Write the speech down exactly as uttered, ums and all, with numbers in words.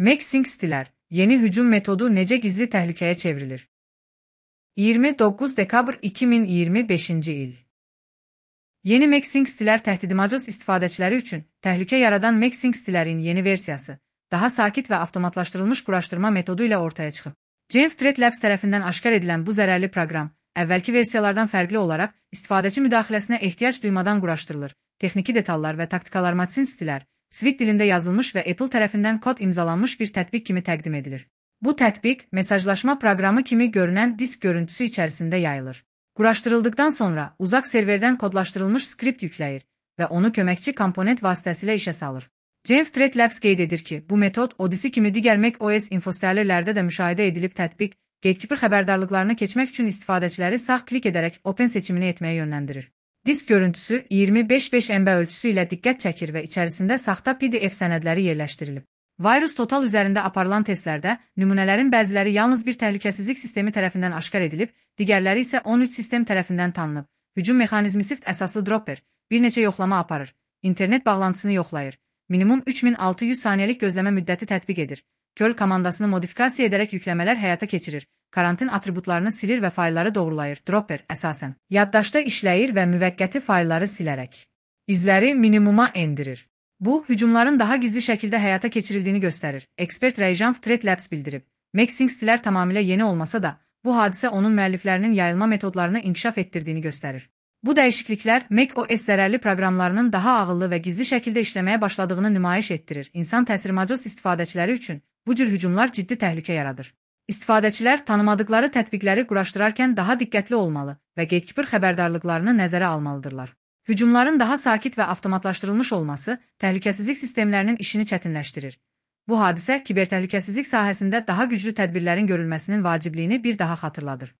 MakeSync yeni hücum metodu necə gizli təhlükəyə çevrilir? iyirmi doqquz dekabr iki min iyirmi beşinci il. Yeni MakeSync təhdidimacız istifadəçiləri üçün təhlükə yaradan MakeSync yeni versiyası, daha sakit və avtomatlaşdırılmış quraşdırma metodu ilə ortaya çıxıb. Jamf Threat Labs tərəfindən aşkar edilən bu zərərli proqram, əvvəlki versiyalardan fərqli olaraq istifadəçi müdaxiləsinə ehtiyac duymadan quraşdırılır. Texniki detallar və taktikalar MakeSync Swift dilində yazılmış və Apple tərəfindən kod imzalanmış bir tətbiq kimi təqdim edilir. Bu tətbiq, mesajlaşma proqramı kimi görünən disk görüntüsü içərisində yayılır. Quraşdırıldıqdan sonra uzaq serverdən kodlaşdırılmış skript yükləyir və onu köməkçi komponent vasitəsilə işə salır. Jamf Threat Labs qeyd edir ki, bu metod Odyssey kimi digər macOS infostellerlərdə də müşahidə edilib tətbiq, Gatekeeper xəbərdarlıqlarını keçmək üçün istifadəçiləri sağ klik edərək Open seçimini etməyə yönləndirir. Disk görüntüsü iyirmi beş beş M B ölçüsü ilə diqqət çəkir və içərisində saxta P D F sənədləri yerləşdirilib. Virus Total üzərində aparılan testlərdə nümunələrin bəziləri yalnız bir təhlükəsizlik sistemi tərəfindən aşkar edilib, digərləri isə on üç sistem tərəfindən tanınıb. Hücum mexanizmi Swift əsaslı dropper bir neçə yoxlama aparır, internet bağlantısını yoxlayır, minimum üç min altı yüz saniyəlik gözləmə müddəti tətbiq edir, curl komandasını modifikasiya edərək yükləmələr həyata keçirir, karantin atributlarını silir və faylları doğrulayır. Dropper əsasən yaddaşda işləyir və müvəqqəti faylları silərək izləri minimuma endirir. Bu, hücumların daha gizli şəkildə həyata keçirildiyini göstərir. Ekspert Jamf Threat Labs bildirib. MakeSync tamamilə yeni olmasa da, bu hadisə onun müəlliflərinin yayılma metodlarını inkişaf etdirdiyini göstərir. Bu dəyişikliklər macOS zərərli proqramlarının daha ağıllı və gizli şəkildə işləməyə başladığını nümayiş etdirir. İnsan təsirmacos istifadəçiləri üçün bu cür hücumlar ciddi təhlükə yaradır. İstifadəçilər tanımadıkları tətbiqləri quraşdırarkən daha diqqətli olmalı və Gatekeeper xəbərdarlıqlarını nəzərə almalıdırlar. Hücumların daha sakit və avtomatlaşdırılmış olması təhlükəsizlik sistemlərinin işini çətinləşdirir. Bu hadisə kibertəhlükəsizlik sahəsində daha güclü tədbirlərin görülməsinin vacibliyini bir daha xatırladır.